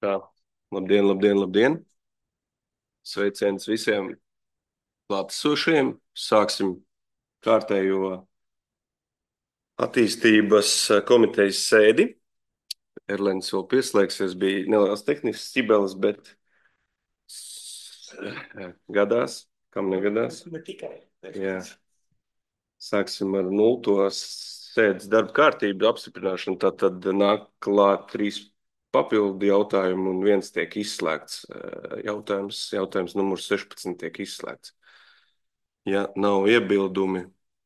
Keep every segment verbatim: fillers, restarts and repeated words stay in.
Tā, labdien, labdien, labdien! Sveiciens visiem klātesošiem. Sāksim kārtējo attīstības komitejas sēdi. Erlends vēl pieslēgsies, bija neliels tehnisks ķibelis, bet gadās, kam negadās. Ne tikai. Jā. Sāksim ar nulto sēdes darba kārtību apstiprināšanu. Tātad nāk klāt trīs papildu jautājumu un viens tiek izslēgts. Jautājums, jautājums numurs sešpadsmit tiek izslēgts. Ja nav iebildumi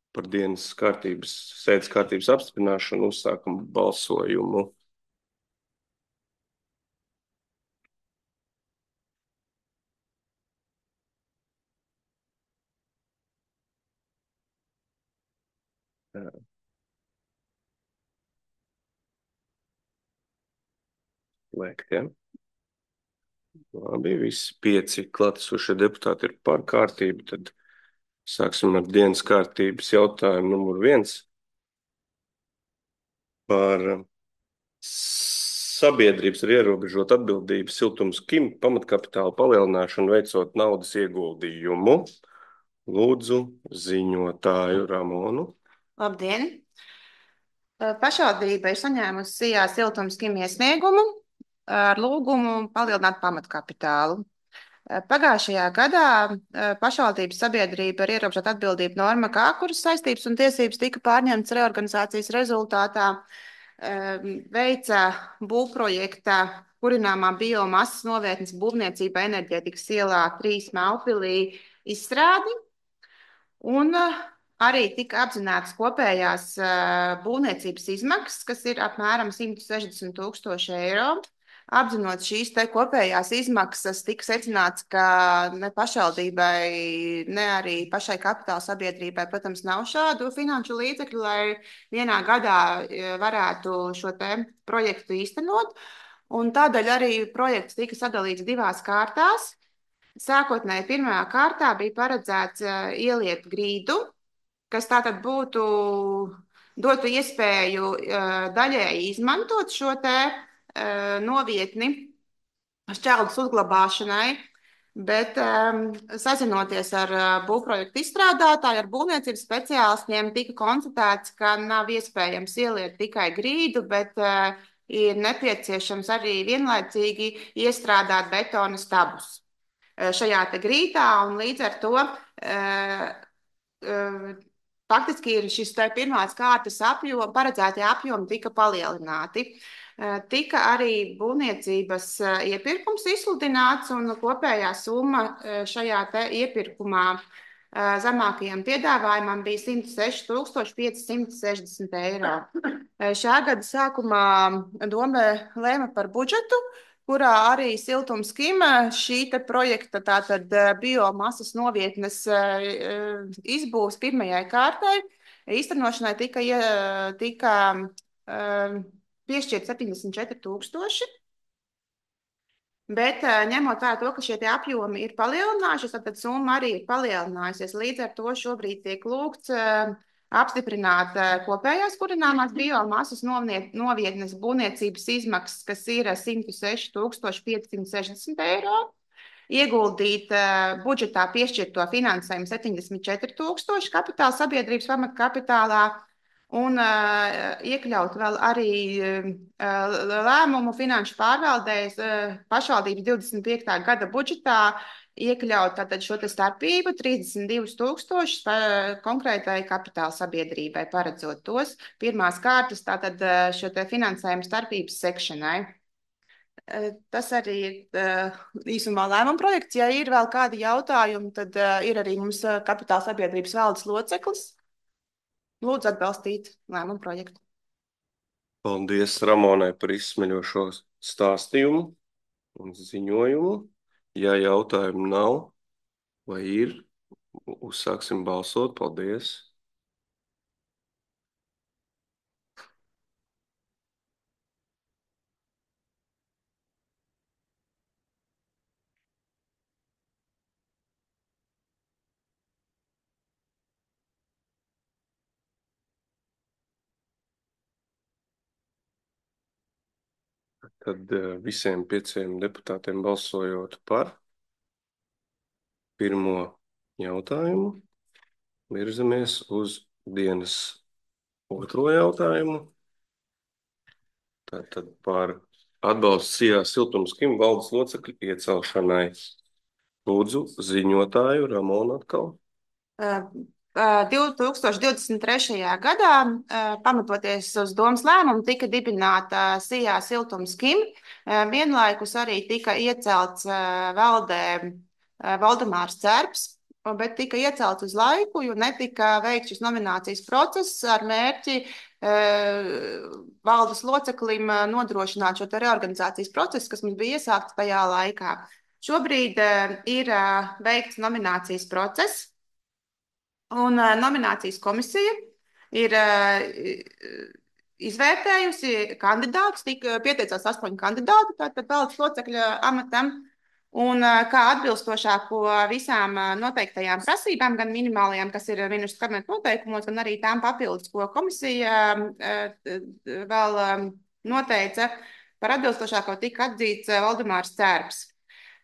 par dienas kārtības, sēdes kārtības apstiprināšanu, uzsākam balsojumu. Lēkt, ja? Labi, visi pieci klātesošie deputāti ir par kārtību, tad sāksim ar dienas kārtības jautājumu numur viens par sabiedrības ar ierobežotu atbildību Siltums Kim pamatkapitāla palielināšanu veicot naudas ieguldījumu. Lūdzu ziņotāju Ramonu. Labdien! Pašvaldība ir saņēmusi Sijā Siltums Kim iesniegumu ar lūgumu palielināt pamatkapitālu. Pagājušajā gadā pašvaldības sabiedrība ar ierobežotu atbildību norma K, kuras saistības un tiesības tika pārņemtas reorganizācijas rezultātā, veica būvprojekta kurināmā biomasas novietnes būvniecība Enerģētikas ielā trīs Melpilī izstrādi. Un arī tika apzinātas kopējās būvniecības izmaksas, kas ir apmēram simt sešdesmit tūkstoši eiro. Apzinot šīs te kopējās izmaksas, tika secināts, ka ne pašvaldībai, ne arī pašai kapitāla sabiedrībai, protams, nav šādu finanšu līdzekļu, lai vienā gadā varētu šo te projektu īstenot. Un tādēļ arī projekts tika sadalīts divās kārtās. Sākotnēji pirmajā kārtā bija paredzēts ieliet grīdu, kas tātad būtu dotu iespēju daļēji izmantot šo te novietni šķērdus uzglabāšanai, bet um, sazinoties ar uh, būvprojektu izstrādātāju, ar būvniecības speciālistiem, tika konstatēts, ka nav iespējams ieliet tikai grīdu, bet uh, ir nepieciešams arī vienlaicīgi iestrādāt betona stabus šajā te grīdā, un līdz ar to uh, uh, faktiski ir šis te pirmās kārtas apjoma, paredzētie apjomi tika palielināti. Tika arī būvniecības iepirkums izsludināts, un kopējā summa šajā te iepirkumā zemākajam piedāvājumam bija simt seši tūkstoši pieci simti sešdesmit eiro. Šā gada sākumā doma lēma par budžetu, kurā arī Siltums Kim šī te projekta tātad biomasas novietnes izbūves pirmajai kārtai īstenošanai tika, tika piešķirt septiņdesmit četri tūkstoši, bet ņemot vērā to, ka šie apjomi ir palielinājušies, tad summa arī ir palielinājusies. Līdz ar to šobrīd tiek lūgts apstiprināt kopējās kurināmās biomasas novietnes būvniecības izmaksas, kas ir simt seši tūkstoši pieci simti sešdesmit eiro, ieguldīt budžetā piešķirto finansējumu septiņdesmit četri tūkstoši kapitāla sabiedrības pamatkapitālā, un uh, iekļaut vēl arī uh, lēmumu finanšu pārvaldēs uh, pašvaldības divdesmit piektā gada budžetā, iekļaut tātad šo te starpību trīsdesmit divus tūkstošus uh, konkrētai kapitāla sabiedrībai, paredzot tos pirmās kārtas tātad uh, šo te finansējumu starpības sekšanai. Uh, tas arī ir uh, īsumā lēmuma projekts. Ja ir vēl kādi jautājumi, tad uh, ir arī mums uh, kapitāla sabiedrības valdes loceklis. Lūdzu atbalstīt lēmumu projektu. Paldies Ramonai par izsmeļošo stāstījumu un ziņojumu. Ja jautājumu nav vai ir, uzsāksim balsot. Paldies. Tad visiem pieciem deputātiem balsojot par pirmo jautājumu, virzamies uz dienas otro jautājumu. Tātad par atbalstu Sijā siltumskim valdes locekļu iecelšanai. Lūdzu, ziņotāju Ramonu atkal. divi tūkstoši divdesmit trešajā gadā, pamatoties uz domas lēmumu, tika dibināta Sijā siltumskim. Vienlaikus arī tika iecelts valdē Valdemārs Cerps, bet tika iecelts uz laiku, jo netika veikts šis nominācijas process ar mērķi valdes loceklim nodrošināt šo te reorganizācijas procesu, kas mums bija iesākts tajā laikā. Šobrīd ir veikts nominācijas process. Un uh, nominācijas komisija ir uh, izvērtējusi kandidātus, tika pieteicās astoņi kandidāti, tātad valdes locekļa amatam, un uh, kā atbilstošāko visām uh, noteiktajām prasībām, gan minimālajām, kas ir ministru kabineta noteikumos, gan arī tām papildus, ko komisija uh, vēl um, noteica, par atbilstošāko tika atzīts uh, Valdemārs Cerps.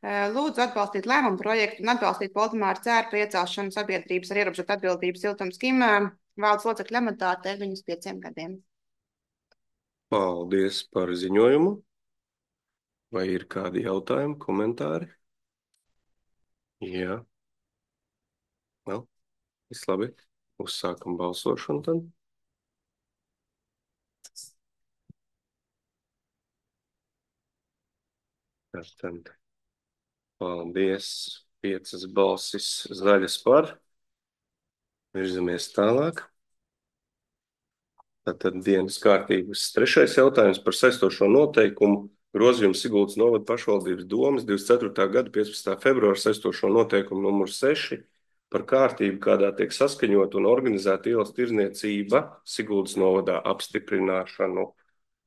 Lūdzu atbalstīt lēmumu projektu un atbalstīt Valdemāra Cērpa iecelšanu sabiedrības ar ierobežotu atbildību siltumskim valdes locekļa amatā termiņus pieciem gadiem. Paldies par ziņojumu. Vai ir kādi jautājumi, komentāri? Jā. Vēl? Viss labi. Uzsākam balsošanu tad. Tātad. Paldies. Piecas balsis zaļas par. Virzamies tālāk. Tātad dienas kārtības trešais jautājums par saistošo noteikumu grozījumu Siguldas novada pašvaldības domes divdesmit ceturtā gada piecpadsmitā februāra saistošo noteikumu numur seši par kārtību, kādā tiek saskaņot un organizēta ielas tirdzniecība Siguldas novadā apstiprināšanu.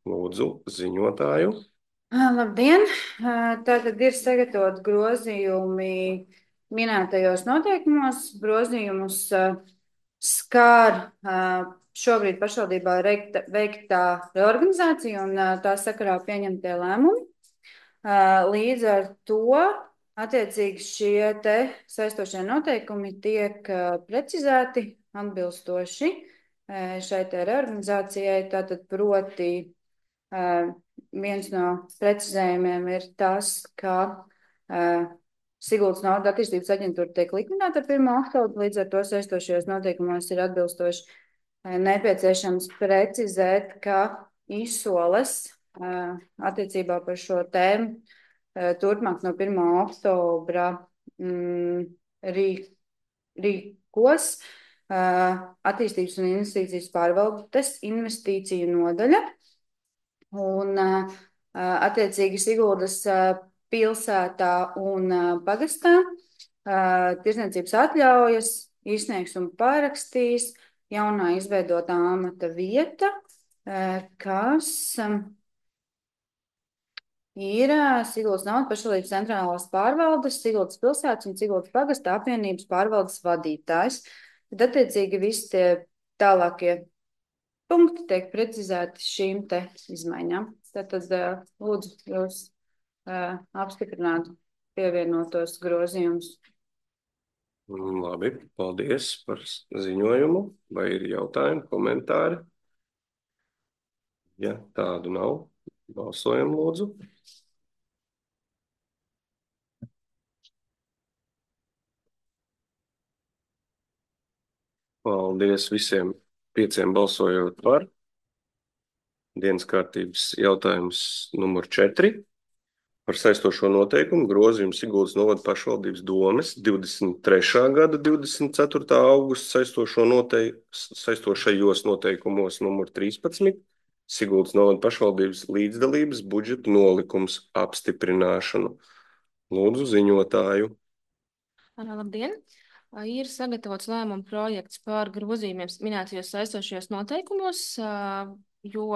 Lūdzu, ziņotāju. Labdien! Tātad ir sagatavot grozījumi minētajos noteikumos. Grozījumus skār šobrīd pašvaldībā veiktā reorganizācija un tā sakarā pieņemtie lēmumi. Līdz ar to attiecīgi šie te saistošie noteikumi tiek precizēti atbilstoši šai te reorganizācijai. Tātad proti viens no precizējumiem ir tas, ka uh, Siguldas naudas attīstības aģentūra tiek likvidēta ar pirmo oktobru, līdz ar to saistošajos noteikumos ir atbilstoši uh, nepieciešams precizēt, ka izsoles uh, attiecībā par šo tēmu uh, turpmāk no pirmā oktobra mm, rīk, rīkos uh, attīstības un investīcijas pārvaldes investīciju nodaļa. Un attiecīgi Siguldas pilsētā un pagastā tirdzniecības atļaujas izsniegs un parakstīs jaunā izveidotā amata vieta, kas ir Siguldas naudas pašvaldības centrālās pārvaldes, Siguldas pilsētas un Siguldas pagasta apvienības pārvaldes vadītājs. Tad attiecīgi visi tie tālākie punkti tiek precizēti šīm te izmaiņām. Tātad lūdzu jūs uh, apstiprināt pievienotos grozījumus. Labi, paldies par ziņojumu. Vai ir jautājumi, komentāri? Ja tādu nav, balsojam lūdzu. Paldies visiem pieciem balsojot par. Dienas kārtības jautājums numur četri. Par saistošo noteikumu grozījumu Siguldas novada pašvaldības domes divdesmit trešā gada divdesmit ceturtā augusta saistošo noteik saistošajos noteikumos numur trīspadsmit. Siguldas novada pašvaldības līdzdalības budžeta nolikums apstiprināšanu. Lūdzu ziņotāju. Labdien! Ir sagatavots lēmuma projekts par grozījumiem minētajos saistošajos noteikumos, jo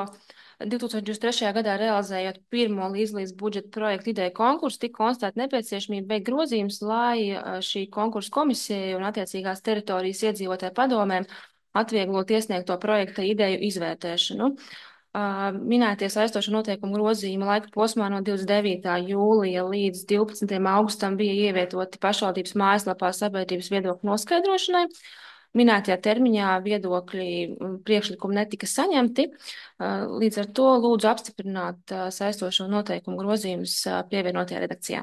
divi tūkstoši divdesmit trešajā gadā realizējot pirmo līdzlīdz budžeta projektu ideju konkursu, tika konstatēta nepieciešamība veikt grozījumus, lai šī konkursu komisija un attiecīgās teritorijas iedzīvotāju padomēm atvieglot iesniegto projekta ideju izvērtēšanu. Minētie saistošo noteikumu grozījuma laika posmā no divdesmit devītā jūlija līdz divpadsmitajam augustam bija ievietoti pašvaldības mājaslapā sabiedrības viedokļu noskaidrošanai. Minētajā termiņā viedokļi priekšlikumi netika saņemti. Līdz ar to lūdzu apstiprināt saistošo noteikumu grozījumus pievienotajā redakcijā.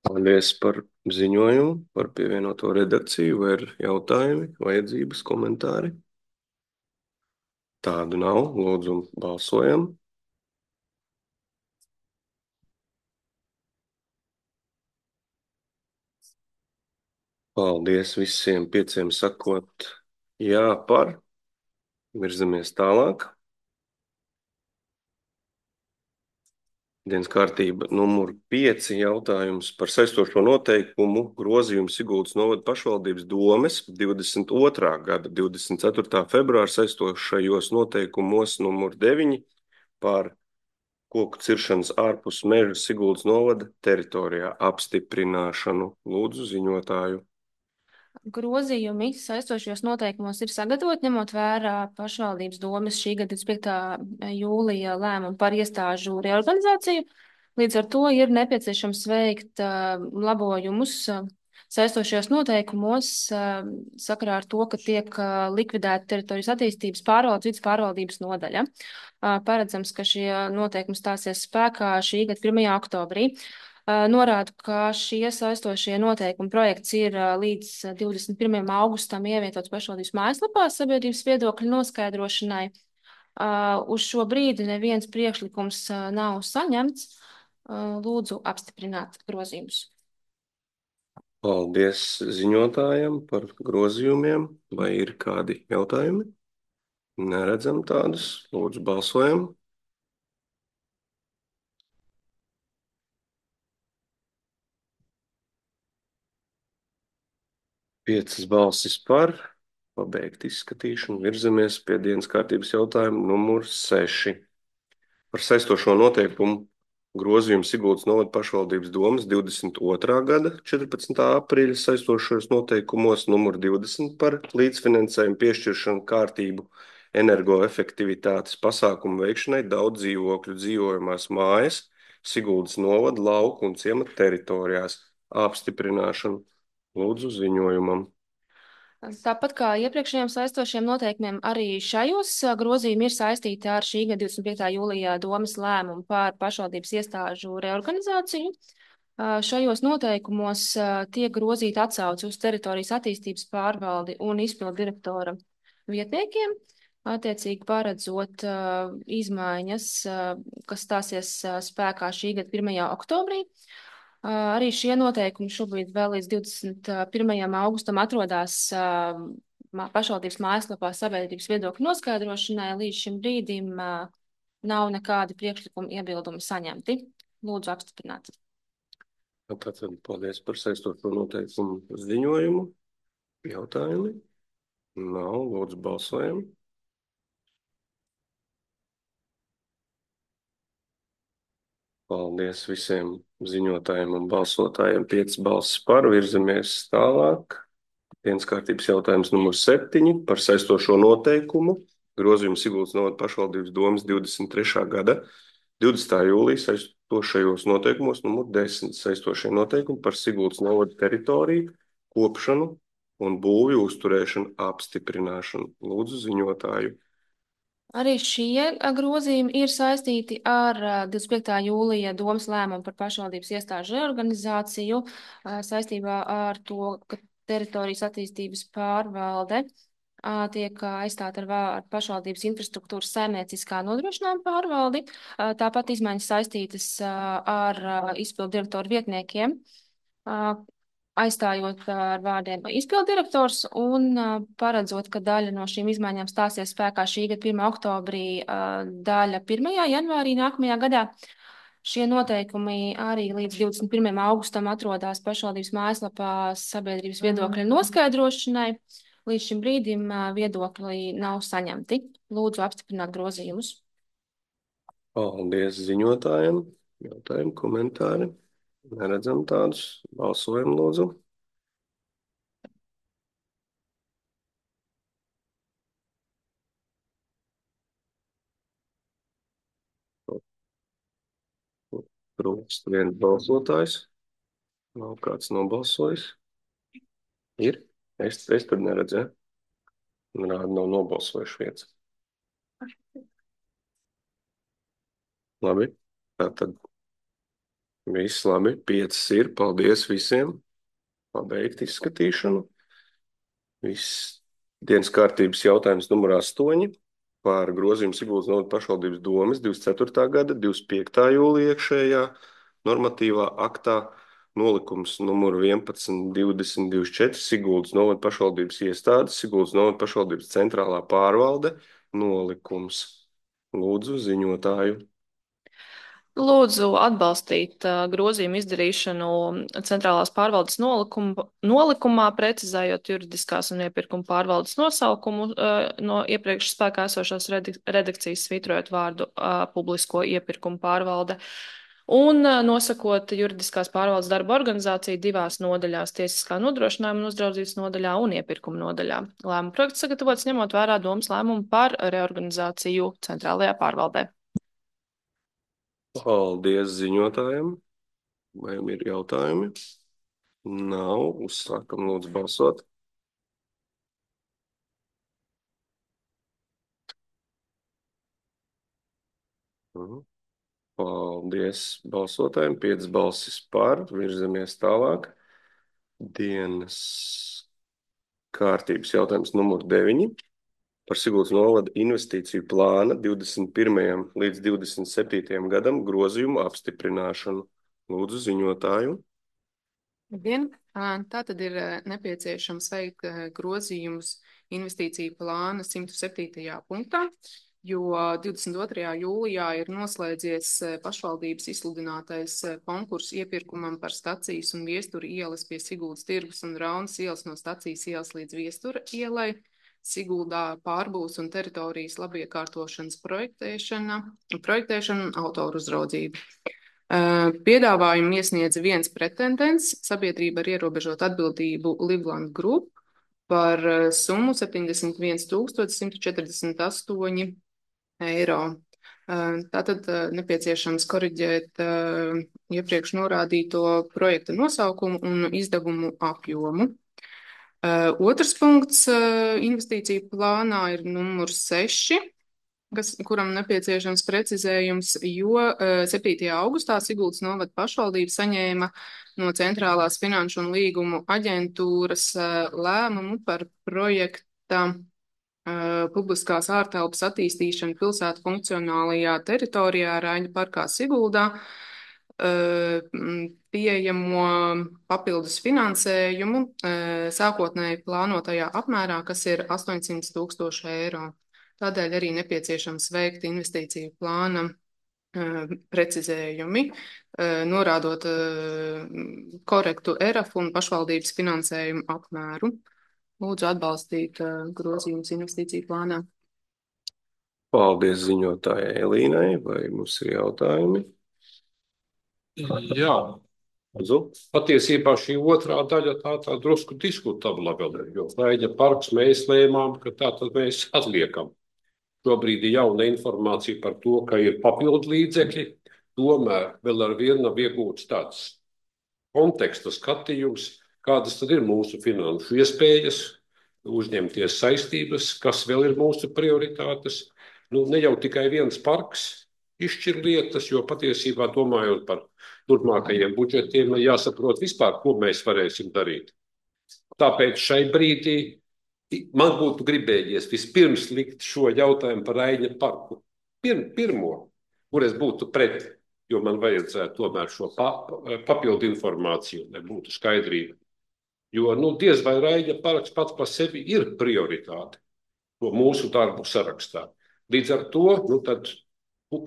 Paldies par ziņojumu, par pievienoto redakciju. Vai ir jautājumi, vajadzības, komentāri? Tādu nav. Lūdzu, balsojam. Paldies visiem pieciem sakot jā par. Virzamies tālāk. Dienas kārtība numur pieci jautājums par saistošo noteikumu grozījumu Siguldas novada pašvaldības domes divdesmit otrā gada divdesmit ceturtā februāra saistošajos noteikumos numur deviņi par koku ciršanas ārpus meža Siguldas novada teritorijā apstiprināšanu. Lūdzu ziņotāju. Grozījumi saistošajos noteikumos ir sagatavoti, ņemot vērā pašvaldības domes šī gada divdesmit piekta jūlija lēmumu par iestāžu reorganizāciju. Līdz ar to ir nepieciešams veikt uh, labojumus uh, saistošajos noteikumos uh, sakarā ar to, ka tiek uh, likvidēta teritorijas attīstības pārvaldes vidas pārvaldības nodaļa. Uh, paredzams, ka šie noteikumi stāsies spēkā šī gada pirmajā oktobrī. Norādu, ka šie saistošie noteikumi projekts ir līdz divdesmit pirmajam augustam ievietots pašvaldības mājaslapā sabiedrības viedokļu noskaidrošanai. Uz šo brīdi neviens priekšlikums nav saņemts. Lūdzu apstiprināt grozījumus. Paldies ziņotājam par grozījumiem. Vai ir kādi jautājumi? Neredzam tādus. Lūdzu balsojam. Piecas balsis par, pabeigt izskatīšanu, virzamies pie dienas kārtības jautājumu numur seši. Par saistošo noteikumu grozījumu Siguldas novada pašvaldības domes divdesmit otrā gada četrpadsmitā aprīļa saistošajos noteikumos numur divdesmit par līdzfinansējumu piešķiršanu kārtību energoefektivitātes pasākumu veikšanai daudz dzīvokļu dzīvojamās mājas Siguldas novada lauku un ciemata teritorijās apstiprināšanu. Lūdzu ziņojumam. Tāpat kā iepriekšējiem saistošiem noteikumiem, arī šajos grozījumi ir saistīti ar šī gada divdesmit piektā jūlijā domes lēmumu par pašvaldības iestāžu reorganizāciju. Šajos noteikumos tiek grozīta atsauce uz teritorijas attīstības pārvaldi un izpildu direktora vietniekiem, attiecīgi paredzot izmaiņas, kas stāsies spēkā šī gada pirmajā oktobrī. Arī šie noteikumi šobrīd vēl līdz divdesmit pirmajam augustam atrodās pašvaldības mājaslapā sabiedrības viedokļu noskaidrošanai. Līdz šim brīdim nav nekādi priekšlikumi iebildumi saņemti. Lūdzu apstiprināt. Tātad paldies par saistošo noteikumu ziņojumu. Jautājumi? Nav. Lūdzu balsojam. Paldies visiem ziņotājiem un balsotājiem. Piecas balsis par. Virzamies tālāk. Dienas kārtības jautājums numur septiņi par saistošo noteikumu. Grozījumu Siguldas novada pašvaldības domes divdesmit trešā gada divdesmitā jūlija saistošajos noteikumos numur desmit saistošie noteikumi par Siguldas novada teritoriju, kopšanu un būvju uzturēšanu apstiprināšanu. Lūdzu ziņotāju. Arī šie grozījumi ir saistīti ar divdesmit piektā jūlija domes lēmumu par pašvaldības iestāžu reorganizāciju saistībā ar to, ka teritorijas attīstības pārvalde tiek aizstāta ar, ar pašvaldības infrastruktūras saimnieciskā nodrošinājuma pārvaldi. Tāpat izmaiņas saistītas ar izpildu direktoru vietniekiem, aizstājot ar vārdiem izpildirektors un paredzot, ka daļa no šīm izmaiņām stāsies spēkā šī gada pirmā oktobrī, daļa pirmajā janvārī nākamajā gadā. Šie noteikumi arī līdz divdesmit pirmajam augustam atrodās pašvaldības mājaslapā sabiedrības viedokļu noskaidrošanai. Līdz šim brīdim viedokļi nav saņemti. Lūdzu apstiprināt grozījumus. Paldies ziņotājiem. Jautājumi, komentāri. Neredzam tādus. Balsojam, lūdzu. Trūkst viens balsotājs. Nav kāds nobalsojis. Ir? Es, es tur neredzēju. Rāda nav nobalsojuši viens. Labi. Tātad viss labi. Piecas ir. Paldies visiem. Pabeigt izskatīšanu. Viss dienas kārtības jautājums numur astoņi par grozījumu Siguldas novada pašvaldības domes divdesmit ceturtā gada divdesmit piektā jūlija iekšējā normatīvā aktā nolikums numur vienpadsmit divdesmit divdesmit četri Siguldas novada pašvaldības iestādes, Siguldas novada pašvaldības centrālā pārvalde nolikums. Lūdzu ziņotāju. Lūdzu atbalstīt uh, grozījumu izdarīšanu centrālās pārvaldes nolikumā, nolikumā, precizējot juridiskās un iepirkuma pārvaldes nosaukumu uh, no iepriekš spēkā esošās redakcijas, svītrojot vārdu uh, publisko iepirkumu pārvalde un uh, nosakot juridiskās pārvaldes darba organizāciju divās nodaļās - tiesiskā nodrošinājuma un uzraudzības nodaļā un iepirkuma nodaļā. Lēmuma projekts sagatavots ņemot vērā domas lēmumu par reorganizāciju centrālajā pārvaldē. Paldies ziņotājiem. Vai jums ir jautājumi? Nav. Uzsākam lūdzu balsot. Paldies balsotājiem. Piecas balsis par. Virzamies tālāk. Dienas kārtības jautājums numur deviņi. Par Siguldas novada investīciju plāna divdesmit pirmajam līdz divdesmit septītajam gadam grozījumu apstiprināšanu. Lūdzu ziņotāju. Labdien! Tā tad ir nepieciešams veikt grozījumus investīciju plāna simt septītajā punktā, jo divdesmit otrajā jūlijā ir noslēdzies pašvaldības izsludinātais konkurss iepirkumam par stacijas un viestura ielas pie Siguldas tirgus un Raunas ielas no stacijas ielas līdz viestura ielai. Siguldā pārbūves un teritorijas labiekārtošanas projektēšana, projektēšana un autoru uzraudzība. Piedāvājumu iesniedza viens pretendents, sabiedrība ar ierobežotu atbildību Livland Group par summu septiņdesmit viens tūkstoši simt četrdesmit astoņi eiro. Tātad nepieciešams koriģēt iepriekš norādīto projekta nosaukumu un izdevumu apjomu. Uh, otrs punkts uh, investīciju plānā ir numurs seši, kas, kuram nepieciešams precizējums, jo uh, septītajā augustā Siguldas novada pašvaldība saņēma no Centrālās finanšu un līgumu aģentūras uh, lēmumu par projekta uh, publiskās ārtelpas attīstīšanu pilsētu funkcionālajā teritorijā Raiņa parkā Siguldā. Pieejamo papildus finansējumu sākotnēji plānotajā apmērā, kas ir astoņsimt tūkstoši eiro. Tādēļ arī nepieciešams veikt investīciju plāna precizējumi, norādot korektu E R A F un pašvaldības finansējumu apmēru. Lūdzu atbalstīt grozījumus investīciju plānā. Paldies ziņotājai Elīnai. Vai mums ir jautājumi? Jā, patiesībā šī otrā daļa tā, tā drusku diskutabla vēl ir, jo Raiņa parks mēs lēmām, ka tā tad mēs atliekam. Šobrīd ir jauna informācija par to, ka ir papildu līdzekļi, tomēr vēl ar vienu nav iegūts tāds konteksta skatījums, kādas tad ir mūsu finanšu iespējas, uzņemties saistības, kas vēl ir mūsu prioritātes. Nu, ne jau tikai viens parks izšķir lietas, jo patiesībā domājot par turpmākajiem budžetiem, jāsaprot vispār, ko mēs varēsim darīt. Tāpēc šai brīdī man būtu gribējies vispirms likt šo jautājumu par Raiņa parku. Pir, pirmo, kur es būtu pret, jo man vajadzētu tomēr šo pa, papildu informāciju, lai būtu skaidrība. Jo nu, diez vai Raiņa parks pats par sevi ir prioritāte, to mūsu darbu sarakstā. Līdz ar to, nu tad,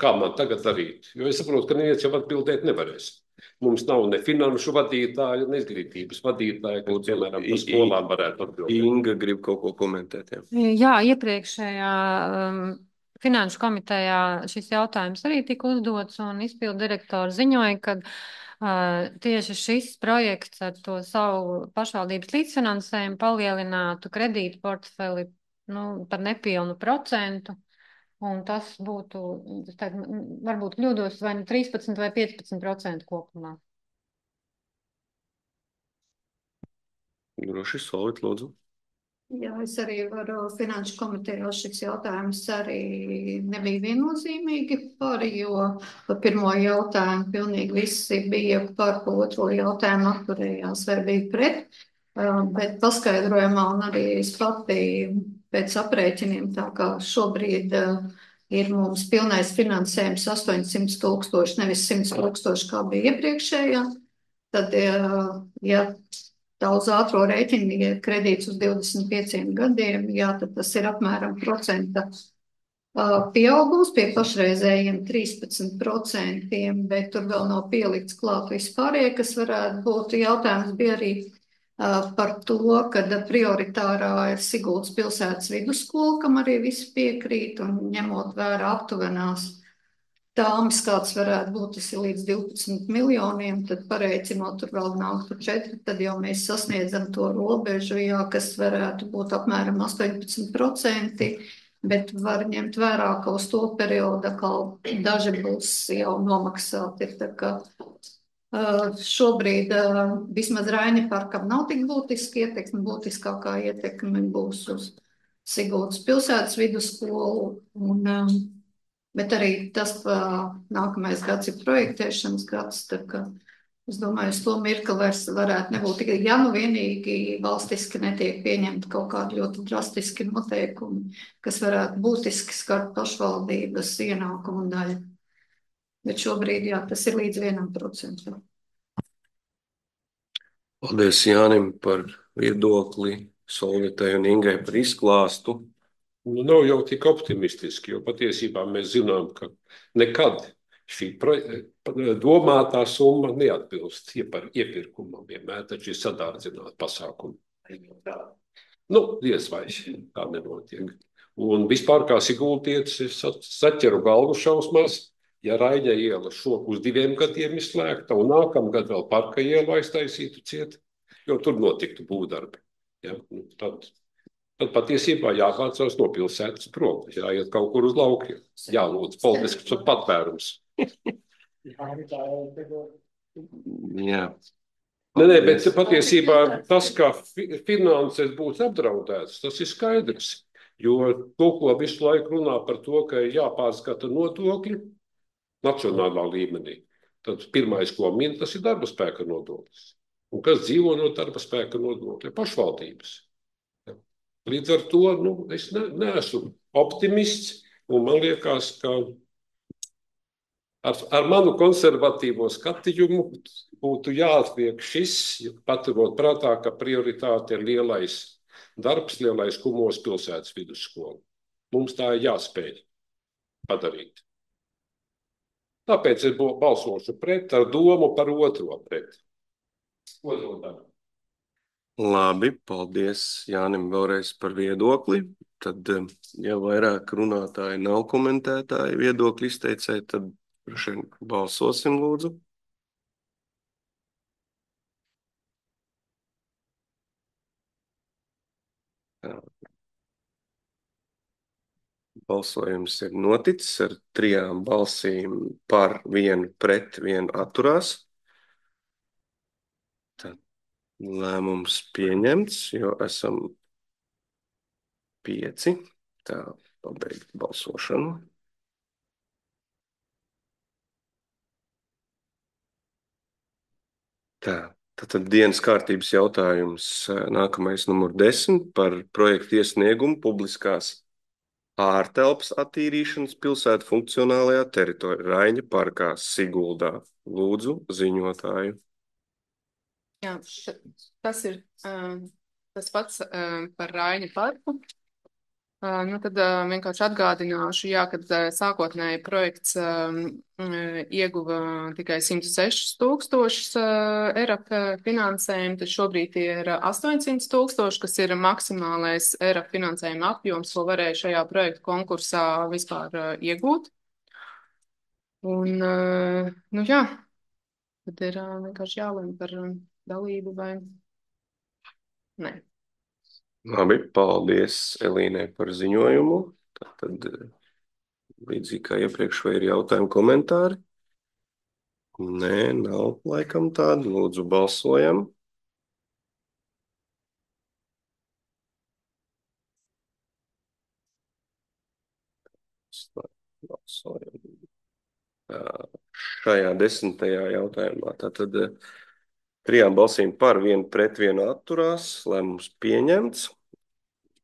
kā man tagad darīt? Jo es saprotu, ka neviens jau atbildēt nevarēs. Mums nav ne finanšu vadītāja, ne izglītības vadītāja, kur, piemēram, par skolām varētu atbildēt. Inga grib kaut ko komentēt. Jā, jā iepriekšējā um, finanšu komitejā šis jautājums arī tika uzdots, un izpildu direktori ziņoja, ka uh, tieši šis projekts ar to savu pašvaldības līdzfinansējumu palielinātu kredītu portfeli nu, par nepilnu procentu. un tas būtu, es teiktu, varbūt kļūdos vai nu trīspadsmit vai piecpadsmit procenti kopumā. Droši, Solvit, lūdzu. Jā, es arī varu finanšu komitejā šis jautājums arī nebija viennozīmīgi par, jo par pirmo jautājumu pilnīgi visi bija par, pa otro jautājumu atturējās vai bija pret, bet paskaidrojumā un arī es pati pēc aprēķiniem, tā kā šobrīd ir mums pilnais finansējums astoņsimt tūkstoši, nevis simt tūkstoši, kā bija iepriekšējā, tad, ja tā uz ātro rēķinu, ja ir kredīts uz divdesmit pieciem gadiem, jā, tad tas ir apmēram procenta pieaugums pie pašreizējiem trīspadsmit procentiem, bet tur vēl nav pielikts klāt vispārējie, kas varētu būt. Jautājums bija arī par to, kad prioritārā ir Siguldas pilsētas vidusskola, kam arī visi piekrīt, un ņemot vērā aptuvenās tāmas, kāds varētu būt, tas ir līdz divpadsmit miljoniem, tad pareicinot, tur vēl nāktu četri, tad jau mēs sasniedzam to robežu, jā, kas varētu būt apmēram astoņpadsmit procenti, bet var ņemt vērā, ka uz to periodu, ka daži būs jau nomaksāti. Tā kā šobrīd vismaz Raini parkam nav tik būtiski ietekmi, būtiskākā ietekme būs uz Siguldas pilsētas vidusskolu, un bet arī tas nākamais gads ir projektēšanas gads, tā ka es domāju, uz to mirkli vairs varētu nebūt tikai, ja nu vienīgi valstiski netiek pieņemti kaut kādi ļoti drastiski noteikumi, kas varētu būtiski skart pašvaldības ienākumu daļu. Bet šobrīd, jā, tas ir līdz vienam procentam. Paldies Jānim par viedokli, Solvitai un Ingai par izklāstu. Nu, nav jau tik optimistiski, jo patiesībā mēs zinām, ka nekad šī domātā summa neatbilst iepirkumam, vienmēr taču ir sadārdzināti pasākumi. Nu, diez vai tā nenotiek. Un vispār kā sigultietis es saķeru galvu šausmās, ja Raņa iela šo uz diviem gadiem izslēgta un nākamgad vēl Parka ielu aiztaisītu ciet, jo tur notiktu būvdarbi. Ja, nu, tad... Tad patiesībā jāpārcās no pilsētas prom, jāiet kaut kur uz laukiem, jālūdz politisks patvērums. Jā. Nē, nē, bet patiesībā tas, ka finanses būs apdraudēts, tas ir skaidrs. Jo to, ko visu laiku runā par to, ka ir jāpārskata nodokļi nacionālā līmenī, tad pirmais, ko min, tas ir darba spēka nodoklis. Un kas dzīvo no darba spēka nodokļa? Pašvaldības. Līdz ar to nu, es ne, neesmu optimists, un man liekas, ka ar, ar manu konservatīvo skatījumu būtu jāatliek šis, paturot prātā, ka prioritāte ir lielais darbs, lielais Kumos pilsētas vidusskola. Mums tā ir jāspēj padarīt. Tāpēc es balsošu pret ar domu par otro pret. Otro darbu. Labi, paldies Jānim vēlreiz par viedokli. Tad, ja vairāk runātāji nav komentētāji viedokļi izteicēji, tad šeit balsosim lūdzu. Balsojums ir noticis ar trijām balsīm par, vienu pret, vienu atturās. Tad lēmums pieņemts, jo esam pieci. Tā, pabeigt balsošanu. Tā, tad dienas kārtības jautājums nākamais numur desmit par projektu iesniegumu publiskās ārtelpas attīrīšanas pilsētu funkcionālajā teritorijā Raņa parkā Siguldā. Lūdzu, ziņotāju. Jā, tas ir uh, tas pats uh, par Raņa parku. Uh, nu tad uh, vienkārši atgādināšu, jā, kad uh, sākotnēji projekts uh, ieguva tikai simt sešus tūkstošus uh, E R A P finansējumu, tad šobrīd ir astoņsimt tūkstoši, kas ir maksimālais E R A P finansējuma apjoms, ko varēja šajā projektu konkursā vispār uh, iegūt. Un, uh, nu jā, tad ir uh, vienkārši jālem par uh, dalību vai nē. Labi, paldies Elīnai par ziņojumu. Tad līdzīgi kā iepriekš, vai ir jautājumi, komentāri? Nē, nav laikam tādu. Lūdzu, balsojam. Balsojam. Šajā desmitajā jautājumā. Tātad trijām balsīm par, vienu pret, vienu atturās, lēmums pieņemts.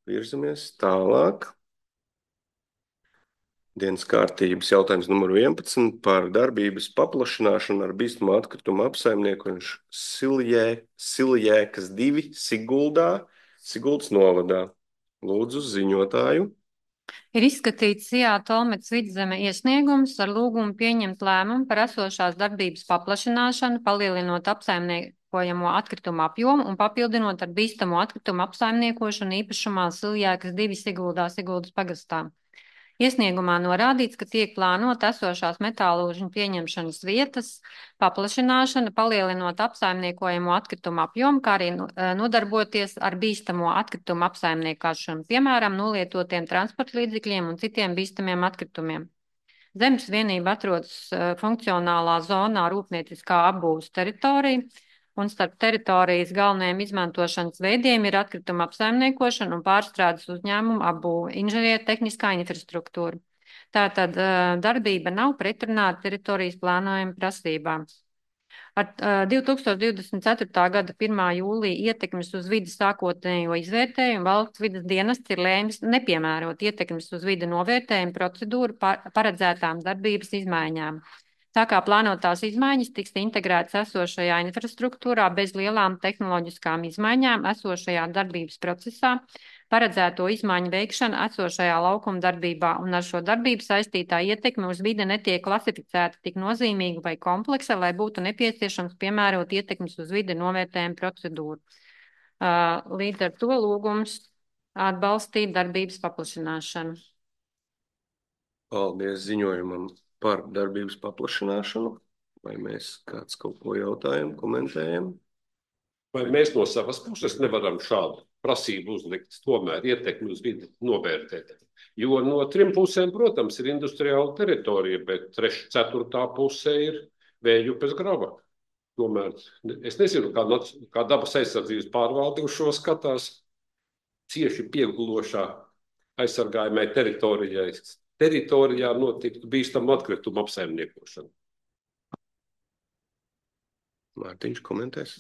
Virzamies tālāk. Dienas kārtības jautājums numur vienpadsmit par darbības paplašināšanu ar bīstamu atkritumu apsaimniekošanu Siljē, Siljēkas divi Siguldā, Siguldas novadā. Lūdzu, ziņotāju. Ir izskatīts Sijā Tolmets Vidzeme iesniegums ar lūgumu pieņemt lēmumu par esošās darbības paplašināšanu, palielinot apsaimniekojamo atkritumu apjomu un papildinot ar bīstamo atkritumu apsaimniekošanu īpašumā Siljēkas divi Siguldā, Siguldas pagastā. Iesniegumā norādīts, ka tiek plānota esošās metālūžņu pieņemšanas vietas paplašināšana, palielinot apsaimniekojamo atkritumu apjomu, kā arī nodarboties ar bīstamo atkritumu apsaimniekāšanu, piemēram, nolietotiem transporta līdzekļiem un citiem bīstamiem atkritumiem. Zemes vienība atrodas funkcionālā zonā rūpnieciskā apbūves teritorija, un starp teritorijas galvenajiem izmantošanas veidiem ir atkrituma apsaimniekošana un pārstrādes uzņēmumu apbūve, inženiertehniskā infrastruktūra. Tātad darbība nav pretrunā ar teritorijas plānojuma prasībām. Ar divi tūkstoši divdesmit ceturtā gada pirmā jūlija ietekmes uz vidi sākotnējo izvērtējumu valsts vides dienests ir lēmis nepiemērot ietekmes uz vidi novērtējumu procedūru paredzētām darbības izmaiņām. Tā kā plānotās izmaiņas tiks integrētas esošajā infrastruktūrā bez lielām tehnoloģiskām izmaiņām esošajā darbības procesā, paredzēto izmaiņu veikšana esošajā laukuma darbībā un ar šo darbību saistītā ietekme uz vidi netiek klasificēta tik nozīmīga vai kompleksa, lai būtu nepieciešams piemērot ietekmes uz vidi novērtējumu procedūru. Līdz ar to lūgums atbalstīt darbības paplašināšanu. Paldies ziņojumam par darbības paplašināšanu. Vai mēs kāds kaut ko jautājam, komentējam? Vai mēs no savas puses nevaram šādu prasību uzlikt, tomēr ietekmi uz vidi novērtēt? Jo no trim pusēm, protams, ir industriāla teritorija, bet trešā, ceturtā pusē ir Vējupes grava. Tomēr es nezinu, kā, kā dabas aizsardzības pārvalde uz šo skatās cieši piegulošā aizsargājumai teritorijai. Teritorijā notiktu bīstamu atkritumu apsaimniekošanu. Mārtiņš komentēs.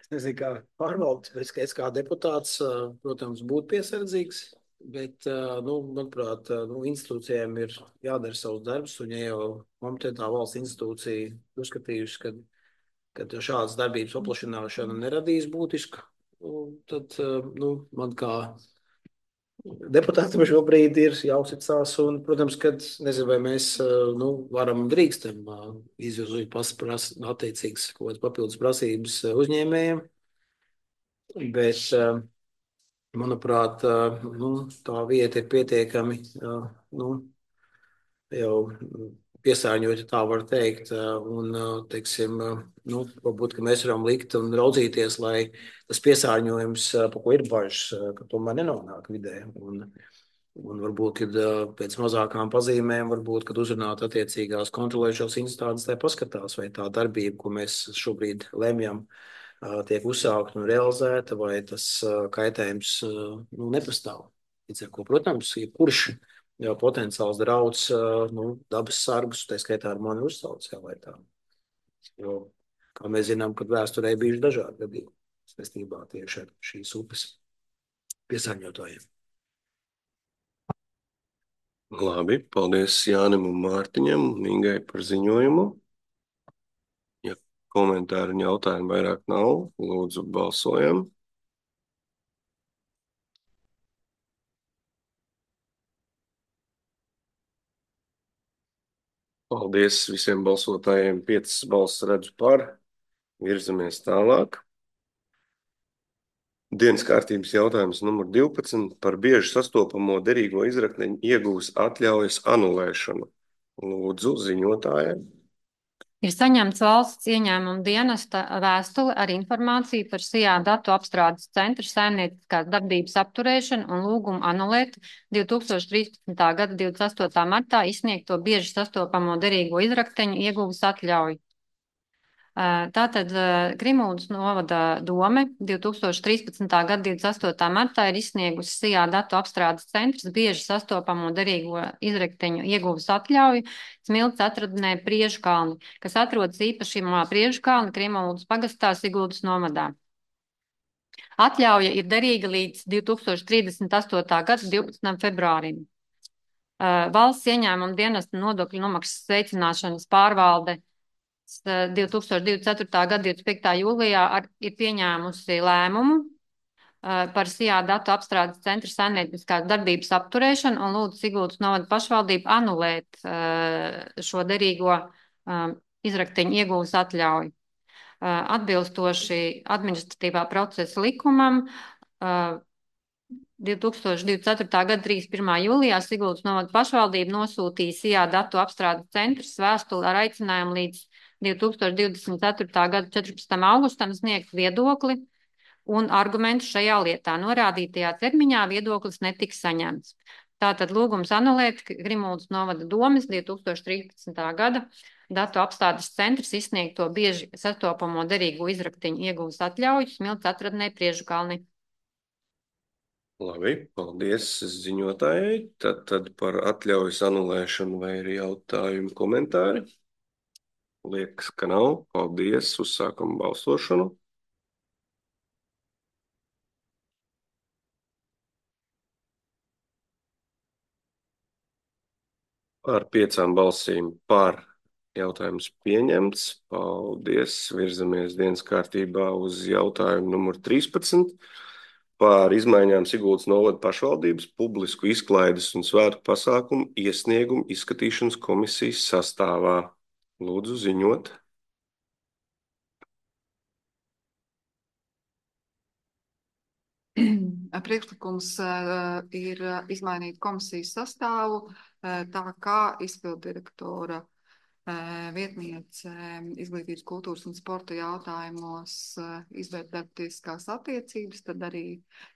Es nezinu, kā pārvaldes, bet es kā deputāts, protams, būtu piesardzīgs, bet, nu, manuprāt, nu, institūcijām ir jādara savus darbus, un ja jau kompetentā valsts institūcija uzskatījusi, ka, ka šādas darbības paplašināšana neradīs būtisku, tad, nu, man kā deputātam šobrīd ir jāuzticās, un, protams, kad nezinu, vai mēs nu, varam un drīkstam izvirzīt attiecīgas kaut kādas papildus prasības uzņēmējiem, bet, manuprāt, nu, tā vieta ir pietiekami nu, jau piesārņot, ja tā var teikt, un, teiksim, nu, varbūt, ka mēs varam likt un raudzīties, lai tas piesārņojums, pa ko ir bažas, ka tomēr nenonāk vidē, un, un varbūt, kad pēc mazākām pazīmēm, varbūt, kad uzrunāt attiecīgās kontrolējušās institūcijas, tai paskatās, vai tā darbība, ko mēs šobrīd lemjam, tiek uzsākt un realizēta, vai tas kaitējums nu, nepastāv. Līdz ar ko, protams, jebkurš jau potenciāls drauds nu, dabas sargus, tā skaitā ar mani uzsauc, jā, vai tā. Jo, kā mēs zinām, kad vēsturē bijuši dažādi gadījumi saistībā tieši ar šīs upes piesārņotājiem. Labi, paldies Jānim un Mārtiņam un Ingai par ziņojumu. Ja komentāri un jautājumi vairāk nav, lūdzu balsojam. Paldies visiem balsotājiem. Piecas balss redzu par. Virzamies tālāk. Dienas kārtības jautājums numur divpadsmit par bieži sastopamo derīgo izrakteņu iegūs atļaujas anulēšanu. Lūdzu, ziņotājiem. Ir saņemts valsts ieņēmuma dienesta vēstule ar informāciju par S I A datu apstrādes centra saimnieciskās darbības apturēšanu un lūgumu anulēt divi tūkstoši trīspadsmitā gada divdesmit astotā martā izsniegto bieži sastopamo derīgo izrakteņu ieguves atļauju. Tātad Grimuldas novada dome divi tūkstoši trīspadsmitā gada divdesmit astotā martā ir izsniegusi S I A datu apstrādes centrs bieži sastopamo derīgo izrakteņu ieguves atļauju Smilts atradnē Priežu kalni, kas atrodas īpašumā Priežu kalni Grimuldas pagastā Siguldas novadā. Atļauja ir derīga līdz divi tūkstoši trīsdesmit astotā gada divpadsmitajam februārim. Valsts ieņēmuma dienesta nodokļu nomaksas veicināšanas pārvalde divi tūkstoši divdesmit ceturtā gada divdesmit piektajā jūlijā ar, ir pieņēmusi lēmumu uh, par S I A datu apstrādes centra saimnieciskās darbības apturēšanu un lūdzu Siguldas novada pašvaldību anulēt uh, šo derīgo uh, izrakteņu ieguves atļauju. Uh, atbilstoši administratīvā procesa likumam, uh, divi tūkstoši divdesmit ceturtā gada trīsdesmit pirmā jūlijā Siguldas novada pašvaldība nosūtīja S I A datu apstrādes centrs vēstuli ar aicinājumu līdz divi tūkstoši divdesmit ceturtā gada četrpadsmitajam augustam sniegt viedokli un argumentus šajā lietā. Norādītajā termiņā viedoklis netiks saņemts. Tātad lūgums anulēt Grimuldas novada domes divi tūkstoši trīspadsmitā gada datu apstrādes centrs izsniegto bieži sastopamo derīgo izrakteņu ieguves atļauju Smilts atradnē Priežu kalni. Labi, paldies ziņotājai. Tad, tad par atļaujas anulēšanu vai ir jautājumi, komentāri? Liekas, ka nav. Paldies, uzsākam balsošanu. Par piecām balsīm par jautājums pieņemts. Paldies, virzamies dienas kārtībā uz jautājumu numur trīspadsmit. Par izmaiņām Siguldas novada pašvaldības publisku izklaides un svētku pasākumu iesniegumu izskatīšanas komisijas sastāvā. Lūdzu ziņot. Priekšlikums uh, ir izmainīt komisijas sastāvu, uh, tā kā izpilddirektora uh, vietniece izglītības, kultūras un sporta jautājumos uh, izvērt darbtiesiskās attiecības, tad arī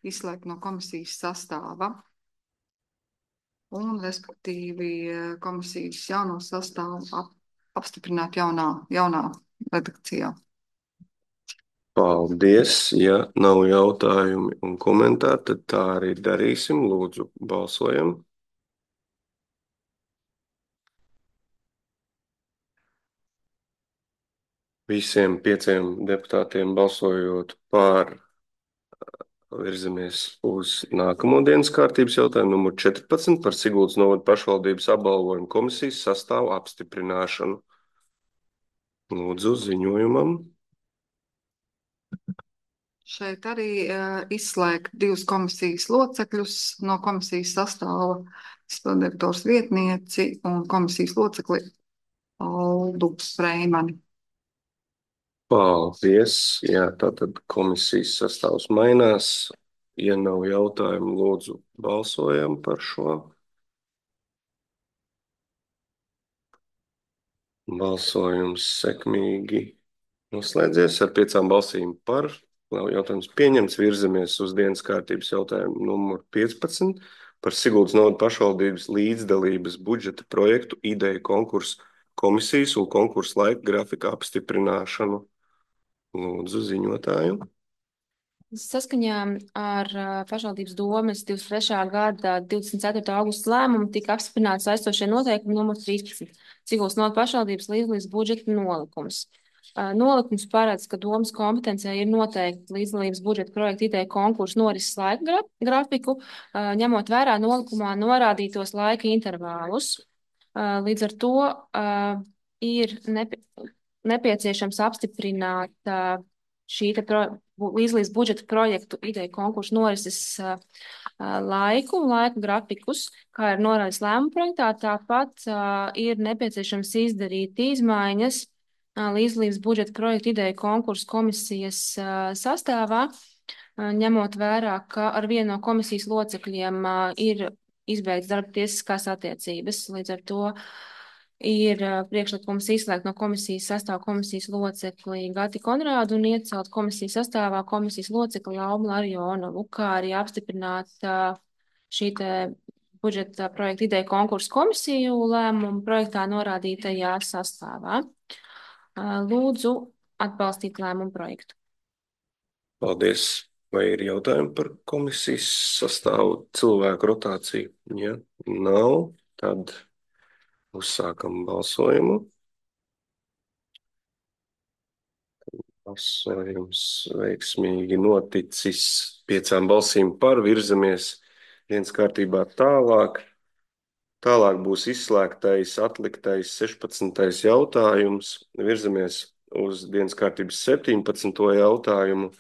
izslēgt no komisijas sastāva. Un, respektīvi, komisijas jauno sastāvu ap, apstiprināt jaunā, jaunā redakcijā. Paldies. Ja nav jautājumi un komentāri, tad tā arī darīsim. Lūdzu, balsojam. Visiem pieciem deputātiem balsojot par, virzamies uz nākamo dienas kārtības jautājumu numur četrpadsmit par Siguldas novada pašvaldības apbalvojumu komisijas sastāvu apstiprināšanu. Lūdzu, ziņojumam. Šeit arī uh, izslēgt divus komisijas locekļus no komisijas sastāva, izpilddirektors vietnieci un komisijas locekli Aldu Freimani. Paldies. Jā, tātad komisijas sastāvs mainās. Ja nav jautājumu, lūdzu, balsojam par šo. Balsojums sekmīgi noslēdzies ar piecām balsīm par. Jautājums pieņemts, virzamies uz dienas kārtības jautājumu numur piecpadsmit par Siguldas novada pašvaldības līdzdalības budžeta projektu ideju konkursu komisijas un konkursu laika grafika apstiprināšanu. Lūdzu, ziņotāju. Saskaņā ar pašvaldības domes divdesmit trešā gada divdesmit ceturtā augusta lēmumu tika apstiprināts saistošie noteikumi numur trīspadsmit Siguldas novada pašvaldības līdzdalības budžeta nolikums. Nolikums paredz, ka domes kompetencijā ir noteikti līdzdalības budžeta projekta ideja konkursu norises laika grafiku, ņemot vērā nolikumā norādītos laika intervālus. Līdz ar to ir nepie, nepieciešams apstiprināt šī te pro, līdzdalības budžeta projektu ideja konkursu norises laiku, laika grafikus, kā ir norādīts lēmuma projektā. Tāpat ir nepieciešams izdarīt izmaiņas līdzdalības budžeta projektu ideju konkursu komisijas sastāvā, ņemot vērā, ka ar vienu no komisijas locekļiem ir izbeigts darba tiesiskās attiecības. Līdz ar to ir priekšlikums izslēgt no komisijas sastāvā komisijas locekli Gati Konrādu un iecelt komisijas sastāvā komisijas locekli Laumu Larionovu, kā arī apstiprināt šī te budžeta projekta ideja konkursu komisiju lēmumu projektā norādītajā sastāvā. Lūdzu atbalstīt lēmumu projektu. Paldies. Vai ir jautājumi par komisijas sastāvu cilvēku rotāciju? Ja nav, tad uzsākam balsojumu. Balsojums veiksmīgi noticis piecām balsīm par, virzamies dienas kārtībā tālāk. Tālāk būs izslēgtais, atliktais sešpadsmitais jautājums. Virzamies uz dienas kārtības septiņpadsmito jautājumu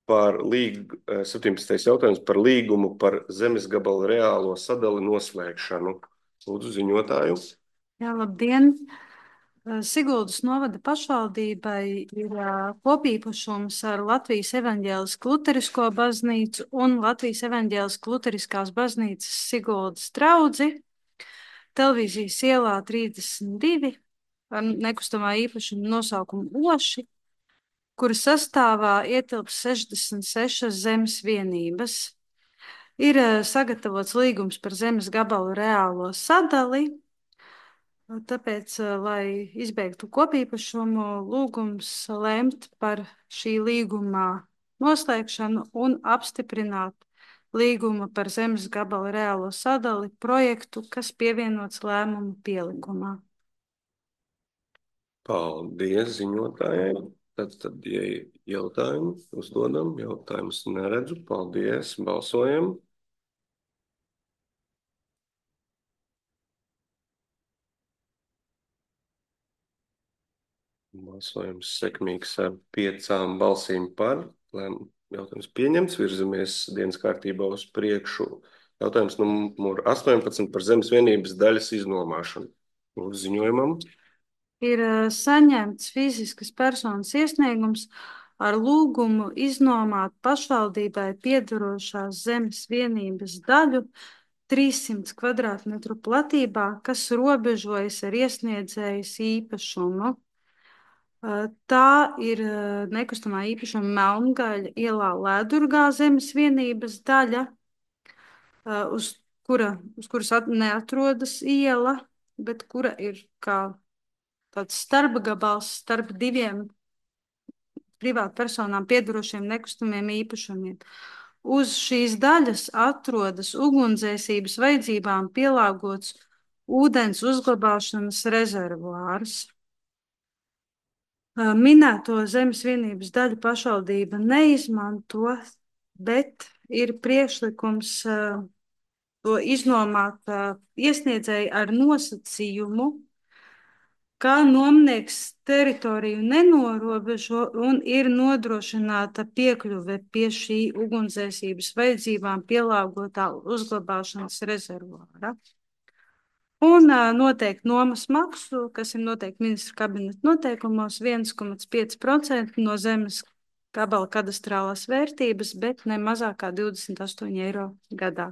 par līgu, septiņpadsmitais jautājums par līgumu par zemes gabalu reālo sadali noslēgšanu. Lūdzu, ziņotāju. Jā, labdien! Siguldas novada pašvaldībai ir kopīpašums ar Latvijas evaņģēlisku luterisko baznīcu un Latvijas evaņģēlisku luteriskās baznīcas Siguldas draudzi televīzijas ielā trīsdesmit divi ar nekustamā īpašuma nosaukumu Oši, kura sastāvā ietilps sešdesmit sešas zemes vienības. Ir sagatavots līgums par zemes gabalu reālo sadali. Tāpēc, lai izbeigtu kopīpašumu, lūgums lemt par šī līguma noslēgšanu un apstiprināt līguma par zemes gabala reālo sadali projektu, kas pievienots lēmumu pielikumā. Paldies ziņotājai. Tad, tad ja jautājumu uzdodam, jautājumus neredzu. Paldies, balsojam. Balsojums sekmīgs ar piecām balsīm par. Jautājums pieņemts, virzamies dienas kārtībā uz priekšu. Jautājums numur astoņpadsmit par zemes vienības daļas iznomāšanu. Lūdzu ziņojumam. Ir saņemts fiziskas personas iesniegums ar lūgumu iznomāt pašvaldībai piederošās zemes vienības daļu trīssimts kvadrātmetru platībā, kas robežojas ar iesniedzējas īpašumu. Tā ir nekustamā īpašuma Melngaļa ielā Lēdurgā zemes vienības daļa, uz, kura, uz kuras neatrodas iela, bet kura ir kā tāds starpgabals starp diviem privātpersonām piedarošiem nekustamiem īpašumiem. Uz šīs daļas atrodas ugunsdzēsības vajadzībām pielāgots ūdens uzglabāšanas rezervuārs. Minēto zemes vienības daļu pašvaldība neizmanto, bet ir priekšlikums to iznomāt iesniedzēji ar nosacījumu, ka nomnieks teritoriju nenorobežo un ir nodrošināta piekļuve pie šī ugunsdzēsības vajadzībām pielāgotā uzglabāšanas rezervuāra. Un noteikti nomas maksu, kas ir noteikti ministra kabineta noteikumos, viens komats pieci procenti no zemes gabala kadastrālās vērtības, bet ne mazāk kā divdesmit astoņi eiro gadā.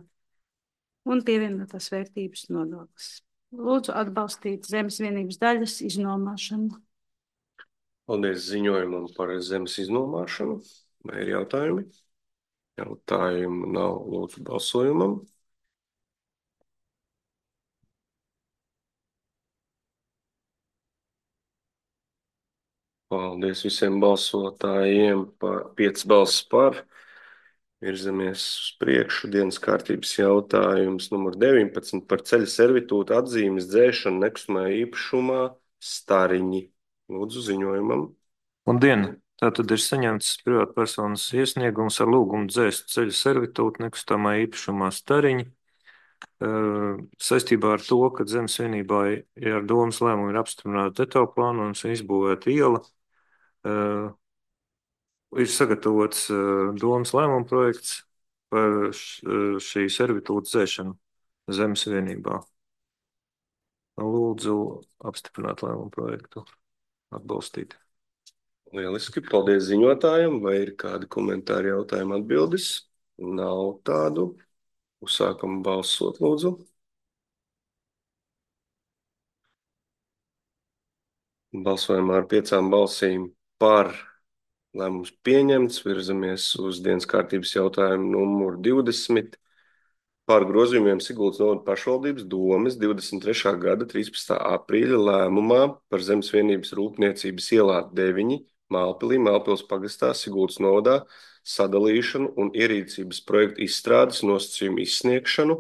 Un pievienotās vērtības nodoklis. Lūdzu atbalstīt zemes vienības daļas iznomāšanu. Paldies ziņojumam par zemes iznomāšanu. Vai ir jautājumi? Jautājumu nav, lūdzu balsojumam. Paldies visiem balsotājiem par piecas balsis par. Virzamies uz priekšu. Dienas kārtības jautājums numur deviņpadsmit par ceļa servitūtu atzīmes dzēšanu nekustamajā īpašumā Stariņi. Lūdzu ziņojumam. Labdien! Tātad ir saņemts privātpersonas iesniegums ar lūgumu dzēst ceļa servitūtu nekustamā īpašumā Stariņi. Saistībā ar to, ka zemes vienībā ar domas lēmumu ir apstiprināta detaļplāna un izbūvēta iela, ir sagatavots domas lēmuma projekts par šī servitūta dzēšanu zemes vienībā. Lūdzu apstiprināt lēmuma projektu, atbalstīt. Lieliski, paldies ziņotājiem. Vai ir kādi komentāri, jautājumi, atbildes? Nav tādu. Uzsākam balsot, lūdzu. Balsojumā ar piecām balsīm par lēmums pieņemts. Virzamies uz dienas kārtības jautājumu numuru divdesmit par grozījumiem Siguldas novada pašvaldības domes divdesmit trešā gada trīspadsmitā aprīļa lēmumā par Zemes vienības rūpniecības ielā deviņi Mālpilī, Mālpils pagastā, Siguldas novadā sadalīšanu un ierīcības projektu izstrādes nosacījumu izsniegšanu.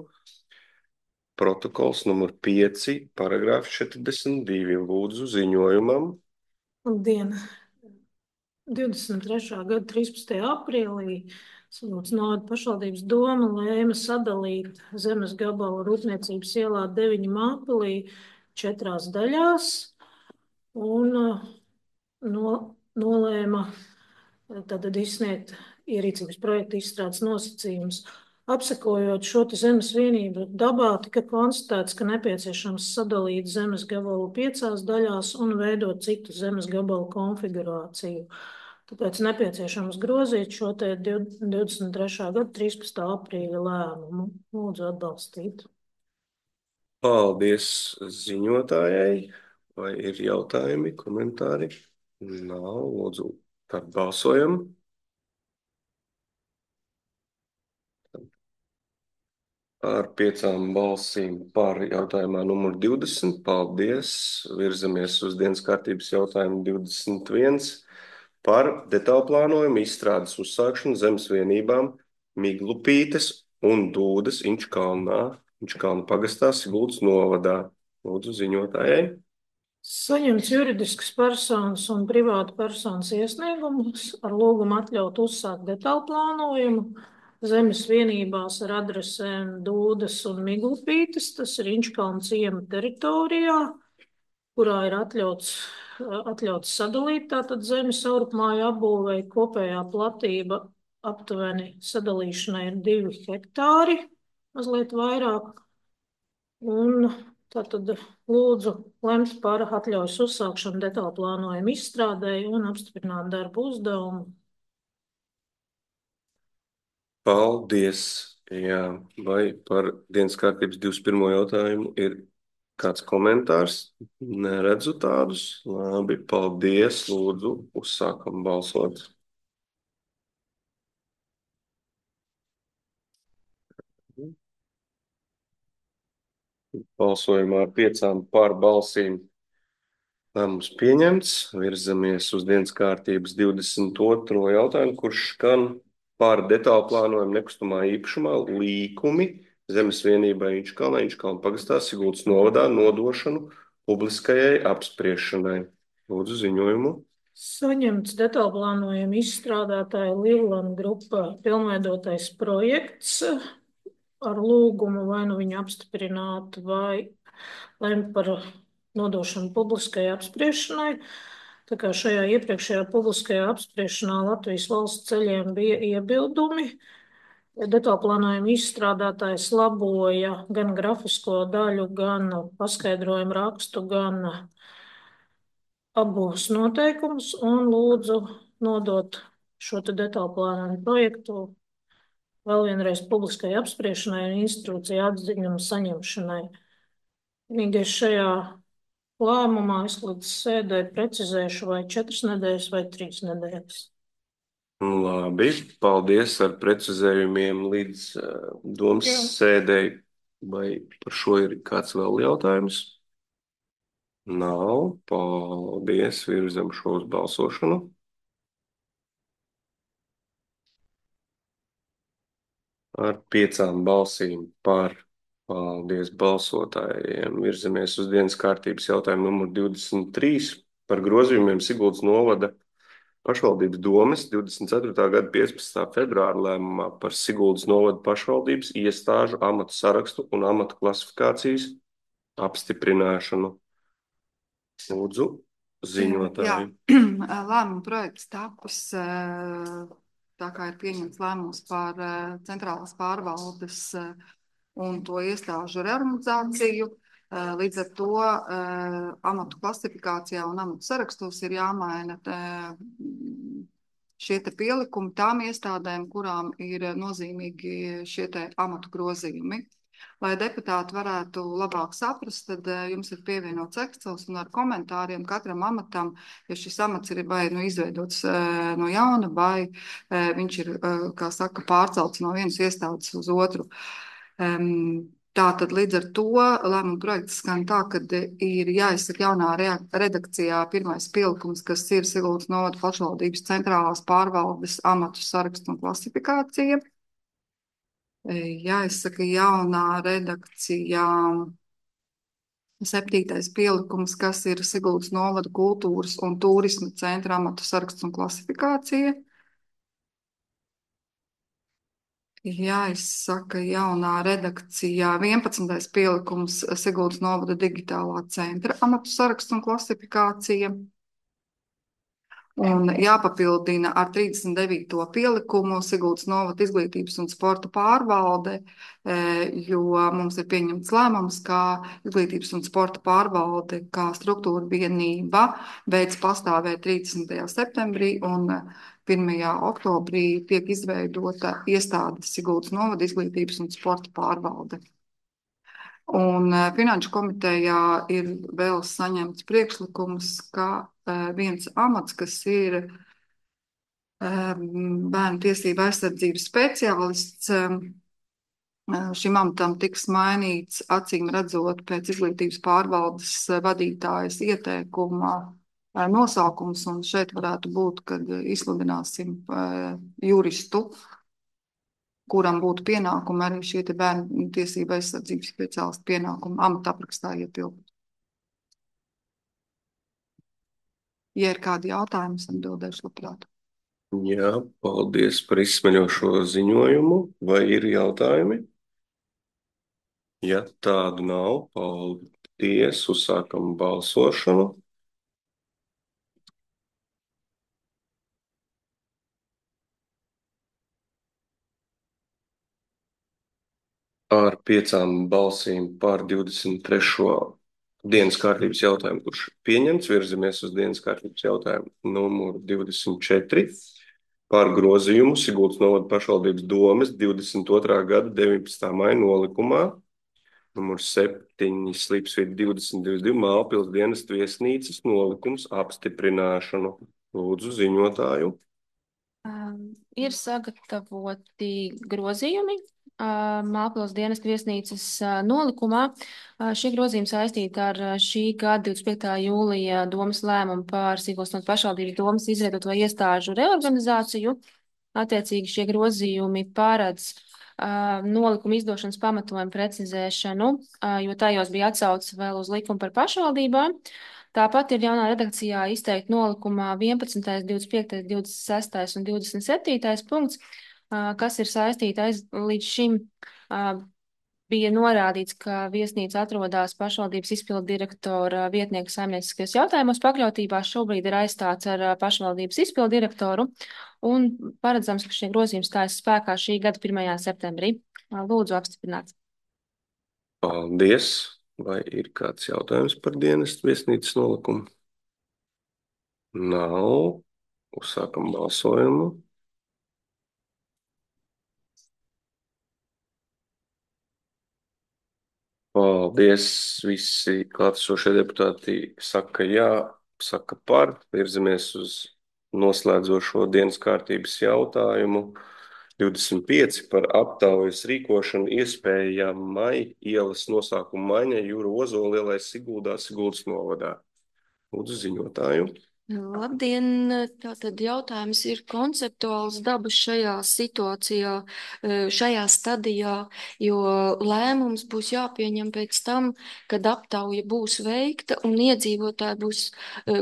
Protokols numur pieci, paragrāfi četrdesmit divi. Lūdzu ziņojumam. Labdien! divdesmit trešā gada trīspadsmitajā aprīlī Siguldas novada pašvaldības doma lēma sadalīt zemes gabalu rūpniecības ielā deviņi Mālpilī četrās daļās un no, nolēma tātad izsniegt ierīcības projektu izstrādes nosacījumus. Apsekojot šo te zemes vienību dabā, tika konstatēts, ka nepieciešams sadalīt zemes gabalu piecās daļās un veidot citu zemes gabalu konfigurāciju. Tāpēc nepieciešams grozīt šo te divdesmit trešā gada trīspadsmitā aprīļa lēmumu. Lūdzu atbalstīt. Paldies ziņotājai. Vai ir jautājumi, komentāri? Nav. Lūdzu, tad balsojam. Ar piecām balsīm par jautājumā numur divdesmit. Paldies. Virzamies uz dienas kārtības jautājumu divdesmit viens par detālplānojumu izstrādes uzsākšanu zemes vienībām Miglupītes un Dūdas Inčkalnā, Inčkalna pagastā, Siguldas novadā. Lūdzu ziņotājai. Saņemts juridiskas personas un privāta personas iesniegumus ar lūgumu atļaut uzsākt detālplānojumu zemes vienībās ar adresēm Dūdas un Miglupītes, tas ir Inčkalna ciema teritorijā, kurā ir atļauts, atļauts sadalīt tātad zemes savrupmāju apbūvei. Kopējā platība aptuveni sadalīšanai ir divi hektāri, mazliet vairāk. Un tātad lūdzu lemt par atļaujas uzsākšanu detālplānojumu izstrādēji un apstiprināt darbu uzdevumu. Paldies. Jā, vai par dienas kārtības divdesmit pirmo jautājumu ir kāds komentārs? Neredzu tādus. Labi, paldies. Lūdzu, uzsākam balsot. Balsojumā ar piecām par balsīm lēmums pieņemts. Virzamies uz dienas kārtības divdesmit otro jautājumu, kurš skan par detālu plānojumu nekustamā īpašumā līkumi zemes vienībai Inčkalnā, Inčkalna pagastā, Siguldas novadā nodošanu publiskajai apspriešanai. Lūdzu ziņojumu. Saņemts detālplānojumu izstrādātāja Livlanda grupā pilnveidotais projekts ar lūgumu vai nu viņu apstiprināt vai lemt par nodošanu publiskajai apspriešanai. Tā kā šajā iepriekšējā publiskajā apspriešanā Latvijas valsts ceļiem bija iebildumi, detālplānojuma izstrādātājs laboja gan grafisko daļu, gan paskaidrojumu rakstu, gan abos noteikumus un lūdzu nodot šo te detālplānojumu projektu vēl vienreiz publiskai apspriešanai un institūciju atziņumu saņemšanai. Vienīgais šajā lēmumā es līdz sēdē precizēšu vai četras nedēļas vai trīs nedēļas. Labi, paldies ar precizējumiem līdz uh, domas Jā. sēdēji. Vai par šo ir kāds vēl jautājums? Nav. Paldies, virzam šo uz balsošanu. Ar piecām balsīm par. Paldies balsotājiem. Virzamies uz dienas kārtības jautājumu numur divdesmit trīs par grozījumiem Siguldas novada pašvaldības domes divdesmit ceturtā gada piecpadsmitā februāra lēmumā par Siguldas novada pašvaldības iestāžu amatu sarakstu un amatu klasifikācijas apstiprināšanu. Lūdzu, ziņotāji. Jā, lēmuma projekts tapis, tā kā ir pieņemts lēmums par centrālās pārvaldes un to iestāžu reorganizāciju. Līdz ar to amatu klasifikācijā un amatu sarakstos ir jāmaina šie te pielikumi tām iestādēm, kurām ir nozīmīgi šie te amatu grozījumi. Lai deputāti varētu labāk saprast, tad jums ir pievienots Excels un ar komentāriem katram amatam, ja šis amats ir vai nu izveidots no jauna, vai viņš ir, kā saka, pārcelts no vienas iestādes uz otru. Tātad līdz ar to lēmuma projekts skan tā, ka ir jāizsaka jaunā redakcijā pirmais pielikums, kas ir Siguldas novada pašvaldības centrālās pārvaldes amatu sarakstu un klasifikācija. Jāizsaka jaunā redakcijā septītais pielikums, kas ir Siguldas novada kultūras un turisma centra amatu saraksts un klasifikācija. Jāizsaka jaunā redakcijā vienpadsmitais pielikums Siguldas novada digitālā centra amatu saraksts un klasifikācija. Un jāpapildina ar trīsdesmit devīto pielikumu Siguldas novada izglītības un sporta pārvalde, jo mums ir pieņemts lēmums, ka izglītības un sporta pārvalde kā struktūra vienība beidz pastāvēt trīsdesmitajā septembrī un pirmajā oktobrī tiek izveidota iestāde Siguldas novada izglītības un sporta pārvalde. Un Finanšu komitejā ir vēl saņemts priekšlikums, ka viens amats, kas ir bērnu tiesību aizsardzības speciālists, šim amatam tiks mainīts, acīm redzot, pēc izglītības pārvaldes vadītājas ieteikuma nosaukums, un šeit varētu būt, kad izsludināsim juristu, kuram būtu pienākumi arī šie te bērnu tiesību aizsardzības speciālistu pienākumi amata aprakstā ietilpt. Ja ir kādi jautājumi, es atbildēšu labprāt. Jā, paldies par izsmeļošo ziņojumu. Vai ir jautājumi? Ja tādu nav, paldies. Uzsākam balsošanu. Ar piecām balsīm par divdesmit trešo dienas kārtības jautājumu, kurš pieņemts, virzamies uz dienas kārtības jautājumu numuru divdesmit četri par grozījumu Siguldas novada pašvaldības domes divdesmit otrā gada deviņpadsmitā maija nolikumā numur septiņi slīpsvīta divdesmit divdesmit divi Mālpils dienestu viesnīcas nolikums apstiprināšanu. Lūdzu ziņotāju. Um, ir sagatavoti grozījumi uh, Mālpils dienestu viesnīcas uh, nolikumā. Uh, šie grozījumi saistīti ar uh, šī gada divdesmit piektā jūlija domas lēmumu par Siguldas novada pašvaldības domas izveidoto iestāžu reorganizāciju. Attiecīgi šie grozījumi paredz uh, nolikumu izdošanas pamatojumu precizēšanu, uh, jo tajos bija atsauce vēl uz likumu par pašvaldībām. Tāpat ir jaunā redakcijā izteikti nolikumā vienpadsmitais, divdesmit piektais, divdesmit sestais un divdesmit septītais punkts, kas ir saistīti aiz līdz šim bija norādīts, ka viesnīca atrodas pašvaldības izpildu direktora vietnieka saimnieciskajos jautājumos pakļautībā. Šobrīd ir aizstāts ar pašvaldības izpildu direktoru un paredzams, ka šie grozījumi stājas spēkā šī gada pirmajā septembrī. Lūdzu apstiprināts. Paldies! Vai ir kāds jautājums par dienestu viesnīcas nolikumu? Nav. Uzsākam balsojumu. Paldies! Visi klātesošie deputāti saka jā, saka par. Virzamies uz noslēdzošo dienas kārtības jautājumu. divdesmit pieci par aptaujas rīkošanu iespējamai ielas nosaukumu maiņai Jūra Ozola ielai Siguldā, Siguldas novadā. Lūdzu ziņotāju. Labdien! Tātad jautājums ir konceptuāls dabas šajā situācijā, šajā stadijā, jo lēmums būs jāpieņem pēc tam, kad aptauja būs veikta un iedzīvotāji būs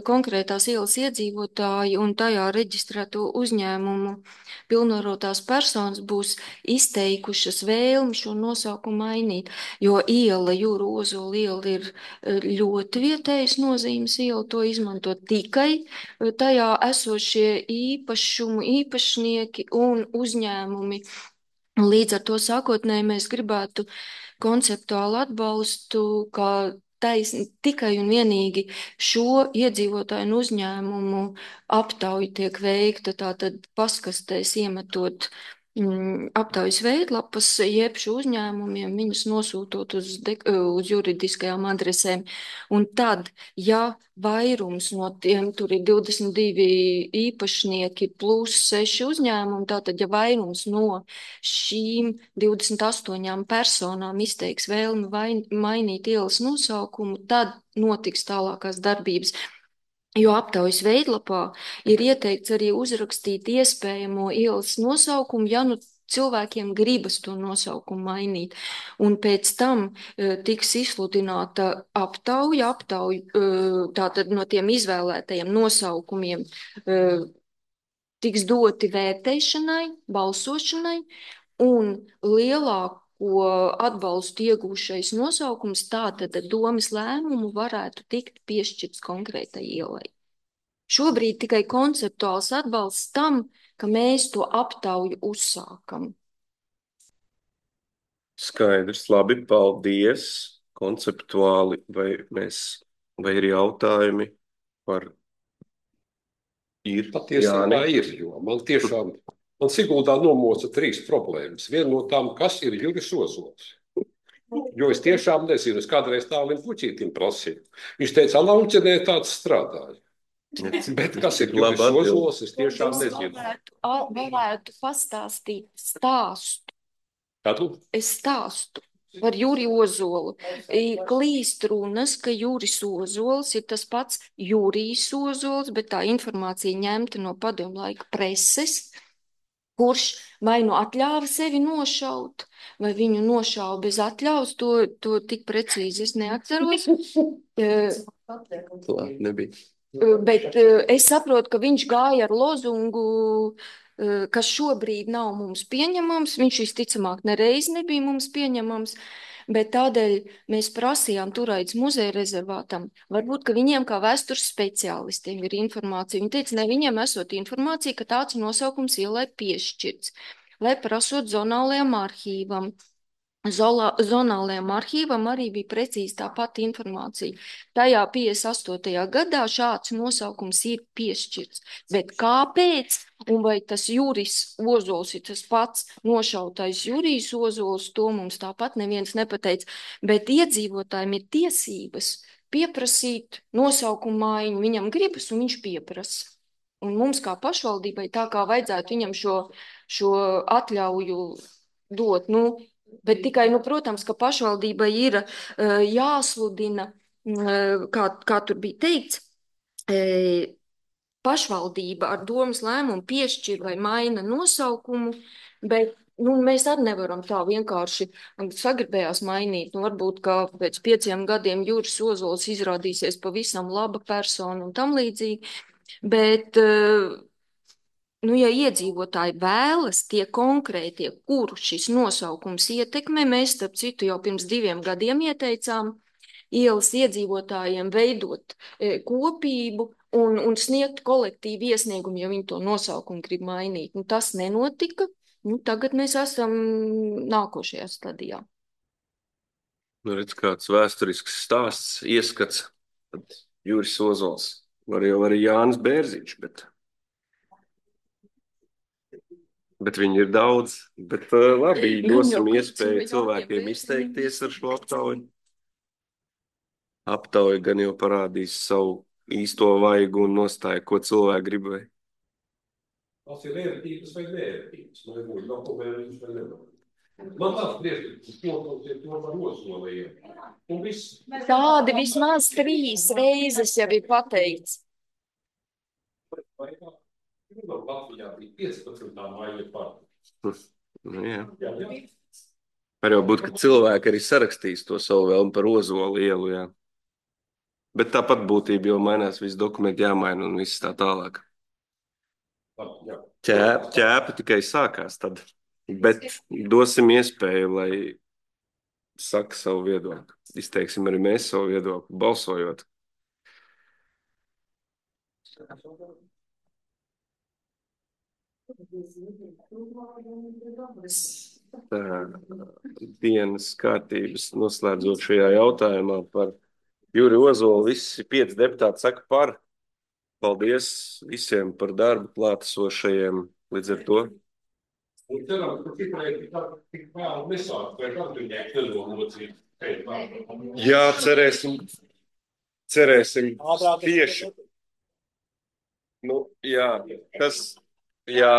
konkrētās ielas iedzīvotāji un tajā reģistrēto uzņēmumu pilnvarotās personas būs izteikušas vēlmi šo nosaukumu mainīt, jo iela, Jūra Ozola iela ir ļoti vietējas nozīmes iela, to izmanto tikai tajā esošie īpašumu īpašnieki un uzņēmumi. Līdz ar to sākotnēji mēs gribētu konceptuālu atbalstu, ka taisn, tikai un vienīgi šo iedzīvotāju un uzņēmumu aptauju tiek veikta, tātad paskastēs iemetot mm, aptaujas veidlapas, jeb šo uzņēmumiem viņus nosūtot uz, de, uz juridiskajām adresēm. Un tad, ja vairums no tiem, tur ir divdesmit divi īpašnieki plus seši uzņēmumi, tātad, ja vairums no šīm divdesmit astoņām personām izteiks vēlmi vai, mainīt ielas nosaukumu, tad notiks tālākās darbības. Jo aptaujas veidlapā ir ieteikts arī uzrakstīt iespējamo ielas nosaukumu, ja nu cilvēkiem gribas to nosaukumu mainīt. Un pēc tam uh, tiks izsludināta aptauja, aptauja uh, tātad no tiem izvēlētajiem nosaukumiem uh, tiks doti vērtēšanai, balsošanai, un lielāko atbalstu iegūšais nosaukums tātad domas lēmumu varētu tikt piešķirts konkrētai ielai. Šobrīd tikai konceptuāls atbalsts tam, ka mēs to aptauju uzsākam. Skaidrs, labi, paldies. Konceptuāli, vai mēs, vai ir jautājumi par ir? Patiesībā ir, jo man tiešām, man Siguldā nomoca trīs problēmas. Viena no tām, kas ir Juris Ozols. Jo es tiešām nezinu, es kādreiz Tālim Puķītim prasīju. Viņš teica, Lauķenē tāds strādāja. Bet kas ir Juris Ozols, es tiešām nezinu. Varētu, varētu pastāstīt stāstu. Kādu? Es stāstu par Juri Ozolu. Klīst runas, ka Juris Ozols ir tas pats Jurijs Ozols, bet tā informācija ņemta no padomu laika preses, kurš vai nu atļāva sevi nošaut, vai viņu nošauja bez atļaus, to, to tik precīzi es neatceros. Labi, nebija. Bet es saprotu, ka viņš gāja ar lozungu, kas šobrīd nav mums pieņemams. Viņš visticamāk nereiz nebija mums pieņemams, bet tādēļ mēs prasījām Turaidas muzeja rezervātam. Varbūt, ka viņiem kā vēstures speciālistiem ir informācija. Viņi teica, ne, viņiem esot informācija, ka tāds nosaukums ielai piešķirts, lai prasot zonālajam arhīvam. Zola, zonālajam arhīvam arī bija precīzi tā pati informācija. Tajā piecdesmit astotajā gadā šāds nosaukums ir piešķirts. Bet kāpēc? Un vai tas Juris Ozols ir tas pats nošautais Jurijs Ozols, to mums tāpat neviens nepateica. Bet iedzīvotājiem ir tiesības pieprasīt nosaukumu maiņu. Viņam gribas un viņš pieprasa. Un mums kā pašvaldībai tā kā vajadzētu viņam šo, šo atļauju dot, nu, bet tikai, nu, protams, ka pašvaldībai ir uh, jāsludina, uh, kā, kā tur bija teikts, uh, pašvaldība ar domas lēmumu piešķir vai maina nosaukumu, bet nu, mēs arī nevaram tā vienkārši sagribējās mainīt. Nu, varbūt, ka pēc pieciem gadiem Juris Ozols izrādīsies pavisam laba persona un tam līdzīgi, bet uh, nu, ja iedzīvotāji vēlas tie konkrētie, kuru šis nosaukums ietekmē, mēs, starp citu, jau pirms diviem gadiem ieteicām ielas iedzīvotājiem veidot e, kopību un, un sniegt kolektīvu iesniegumu, ja viņi to nosaukumu grib mainīt. Nu, tas nenotika. Nu, tagad mēs esam nākošajā stadijā. Nu, redz, kāds vēsturisks stāsts, ieskats. Tad Juris Ozols. Var jau arī Jānis Bērziņš, bet... Bet viņi ir daudz, bet uh, labi, dosim iespēju cilvēkiem izteikties ar šo aptauju. Aptauja gan jau parādīs savu īsto vaigu un nostāju, ko cilvēki gribēja. Tas ir vērtības vai vērtības, man nebūtu dokumentus vai nevar. Man tāds priekšlikums, ko ir to par Ozoliem. Un viss. Tādi vismaz trīs reizes jau ir pateikts. Vai kā? Latvijā bija piecpadsmitā maija partija. Nu, jā. Var jau būt, ka cilvēki arī sarakstīs to savu vēlmu par Ozolu ielu, jā. Bet tāpat būtība jau mainās, visi dokumenti jāmaina un viss tā tālāk. Ķēp, ķēpa tikai sākās tad. Bet dosim iespēju, lai saka savu viedokli. Izteiksim arī mēs savu viedokli, balsojot. Tā, dienas kārtības noslēdzot šajā jautājumā par Juri Ozolu. Visi pieci deputāti saka par. Paldies visiem par darbu klātesošajiem. Līdz ar to Un ceram, ka tikai tik vēl nesāk, vai atbiņēk nedomocīt. Jā, cerēsim, cerēsim tieši. Nu, jā, tas, jā.